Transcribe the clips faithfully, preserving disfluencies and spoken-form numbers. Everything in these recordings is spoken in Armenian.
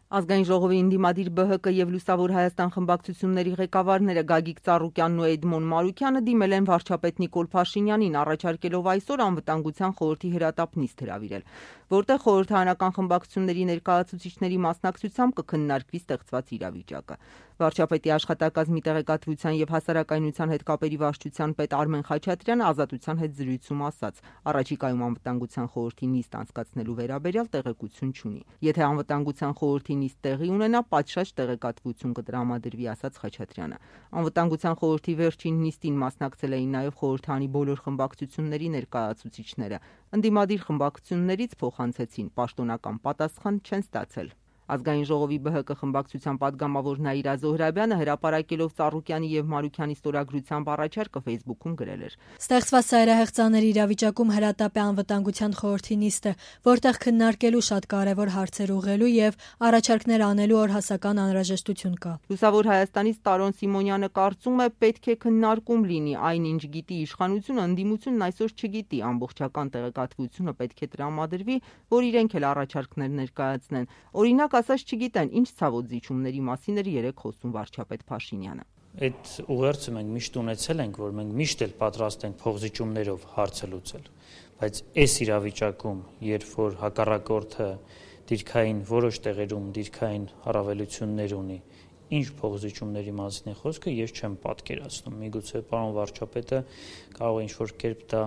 Ազգային ժողովի ընդդիմադիր Բ Հ Կ եւ Լուսավոր Հայաստան խմբակցությունների ղեկավարները Գագիկ Ծառուկյանն ու Էդմոն Մարուկյանը դիմել են վարչապետ Նիկոլ Փաշինյանին, առաջարկելով այսօր անվտանգության խորհրդի հրատապ նիստ հրավիրել, որտեղ խորհրդարանական խմբակցությունների ներկայացուցիչների մասնակցությամբ կքննարկվի ստեղծված իրավիճակը։ Վարչապետի աշխատակազմի տեղեկատվության եւ հասարակայնության հետ կապերի վարչության պետ Արմեն Խաչատրյանը Ազատության հետ զրույցում ասաց. առաջիկայում անվտանգության խորհրդի նիստ անցկացնելու վերաբերյալ տեղեկություն չունի։ Եթե անվտանգության խորհրդի նիստ տեղի ունենա, պատշաճ տեղեկատվություն կտրամադրվի, ասաց Խաչատրյանը։ Անվտանգության խորհրդի վերջին նիստին մասնակցել էին նաեւ խորհրդարանի բոլոր խմբակցությունների ներկայացուցիչները։ Ընդդիմադիր խմբակցություններից փոխանցեցին, պաշտոնական պատասխան չեն ստացել։ Ազգային ժողովի Բ Հ Կ խմբակցության падգամավոր Նաիրա Զոհրաբյանը հրապարակելով Ծառուկյանի եւ Մարուկյանի ստորագրությամբ առաջարկը Facebook-ում գրել էր. Ստեղծված ծայրահեղ ծանր իրավիճակում հրատապ է անվտանգության խորհրդի նիստը, որտեղ քննարկելու շատ կարևոր հարցեր ուղղելու եւ առաջարկներ անելու օրհասական անհրաժեշտություն կա։ Լուսավոր Հայաստանից Տարոն Սիմոնյանը կարծում է, պետք է քննարկում լինի, այնինչ գիտի իշխանությունը, ընդդիմությունն այսօր չգիտի, ամբողջական տեղեկատվությունը պետք է տրամադրվի, որ իրենք էլ առաջարկներ ներկայացնեն։ Օրինակ ասած չգիտեն, ինչ ցավոտ զիջումների մասին էր երեք խոսում վարչապետ Փաշինյանը։ Այդ ուղերձը մենք միշտ ունեցել ենք, որ մենք միշտ էլ պատրաստ ենք փոխզիջումներով հարցը լուծել, բայց այս իրավիճակում, երբ որ հակառակորդը դիրքային որոշ տեղերում դիրքային առավելություններ ունի, ինչ փոխզիջումների մասին է խոսքը, ես չեմ պատկերացնում։ Միգուցե պարոն վարչապետը կարող է ինչ-որ կերպ դա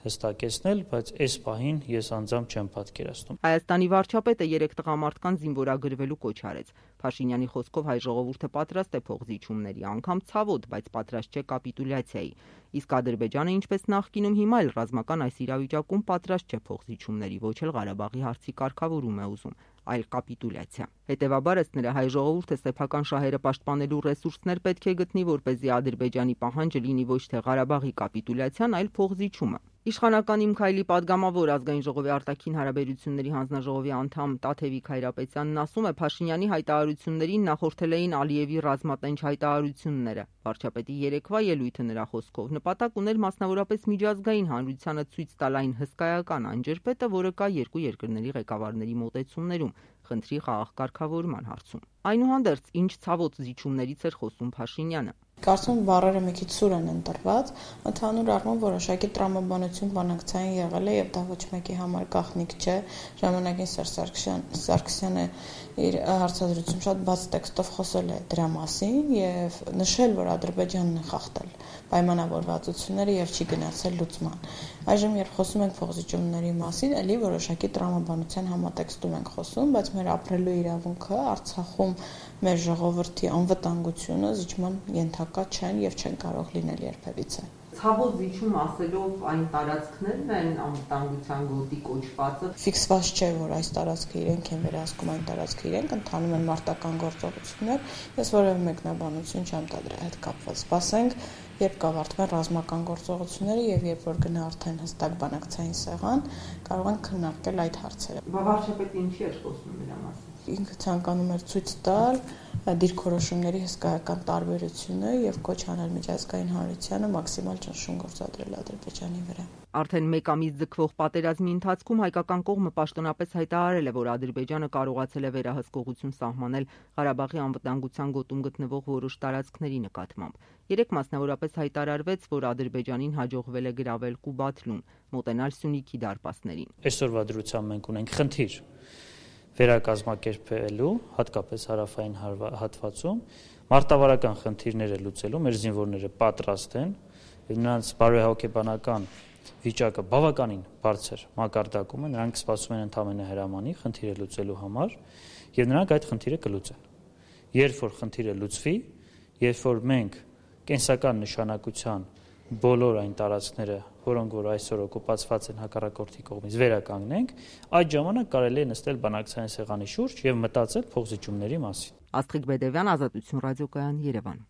հստակեցնել, բայց այս պահին ես անձամբ չեմ պատկերացնում։ Հայաստանի վարչապետը երեք տղամարդկանց զինվորագրվելու կոչ արեց։ Փաշինյանի խոսքով հայ ժողովուրդը պատրաստ է փոխզիջումների, անգամ ցավոտ, բայց պատրաստ չէ կապիտուլյացիայի։ Իսկ Ադրբեջանը, ինչպես նախկինում, հիմա էլ ռազմական այս իրավիճակում պատրաստ չէ փոխզիջումների, ոչ էլ Ղարաբաղի հարցի կարգավորում է ուզում, այլ կապիտուլյացիա։ Հետևաբար, ըստ նրա, հայ ժողովուրդը սեփական շահերը պաշտպանելու ռեսուրսներ պետք է գտնի, որպեսզի Ադրբեջանի պահանջը լինի ոչ թե Ղարաբաղի կապիտուլյացիան, այլ փոխզիջումը։ Իշխանական Իմ Քայլի падգամավոր Ազգային ժողովի արտաքին հարաբերությունների հանձնաժողովի անդամ Տաթևիկ Հայրապետյանն ասում է, Փաշինյանի հայտարարություններին նախորդել էին Ալիևի ռազմատենչ հայտարարությունները։ Վարչապետի երեկվա ելույթը նրա խոսքով նպատակ ուներ մասնավորապես միջազգային հանրությանը ցույց տալ այն հսկայական անջրպետը, որը կա երկու երկրների ղեկավարների մոտեցումներում, խնդրի խաղաղ կարգավորման հարցում։ Այնուհանդերձ, ինչ ցավոտ զիջումներից էր խոսում Փաշինյանը։ Կարծում եմ բառերը մի քիչ սուր են ընտրված, ընդհանուր առմամբ որոշակի տրամաբանություն բանակցային եղել է եւ դա ոչ մեկի համար գաղտնիք չէ։ Ժամանակին Սերժ Սարգսյանը իր հարցազրույցում շատ բաց տեքստով խոսել է դրա մասին եւ նշել, որ Ադրբեջանն է խախտել պայմանավորվածությունները եւ չի գնացել լուծման։ Այժմ երբ խոսում ենք փոխզիջումների մասին, ելի որոշակի տրամաբանության համատեքստում ենք խոսում, բայց մեր ապրելու իրավունքը Արցախում մեր ժողովրդի անվտանգությունը զիջման ենթակա չեն եւ չեն կարող լինել երբևիցե։ Ցավոտ զիջում ասելով այն տարածքներն են անվտանգության գոտի կոչվածը։ Ֆիքսված չէ, որ այս տարածքը իրենք են վերահսկում, այն տարածքը իրենք ընթանում են մարտական գործողություններ։ Ես որևէ մեկնաբանություն չեմ տա դրա հետ կապված։ Սպասենք, երբ կավարտվեն ռազմական գործողությունները եւ երբ որ գնա արդեն հստակ բանակցային սեղան, կարող են քննարկել այդ հարցերը։ Վարչապետը ինչի էր խոսում դրա մասին։ Ինքը ցանկանում էր ցույց տալ դիրքորոշումների հսկայական տարբերությունը եւ կոչ անել միջազգային հանրությանը մաքսիմալ ճնշում գործադրել Ադրբեջանի վրա։ Արդեն մեկ ամիս ձգվող պատերազմի ընթացքում հայկական կողմը պաշտոնապես հայտարարել է, որ Ադրբեջանը կարողացել է վերահսկողություն սահմանել Ղարաբաղի անվտանգության գոտում գտնվող որոշ տարածքների նկատմամբ։ Երեք մասնավորապես հայտարարվեց, որ Ադրբեջանին հաջողվել է գրավել Կուբաթլուն, մոտենալ Սյունիքի դարպասներին։ Այսօրվա դրությամբ մենք ունենք խնդիր վերակազմակերպելու, հատկապես հարավային հատվածում, մարտավարական խնդիրները լուծելու մեր զինվորները պատրաստ են, նրանց բարոյահոգեբանական վիճակը բավականին բարձր մակարդակում է, նրանք սպասում են ընդամենը հրամանի խնդիրը լուծելու համար եւ նրանք այդ խնդիրը կլուծեն։ Երբ որ խնդիրը լուծվի, երբ որ մենք կենսական նշանակության բոլոր այն տարածքները, որոնք որ այսօր օկուպացված են հակառակորդի կողմից, վերականգնենք, այդ ժամանակ կարելի է նստել բանակցային սեղանի շուրջ եւ մտածել փոխզիջումների մասին։ Աստղիկ Բեդևյան, Ազատություն ռադիոկայան, Երևան։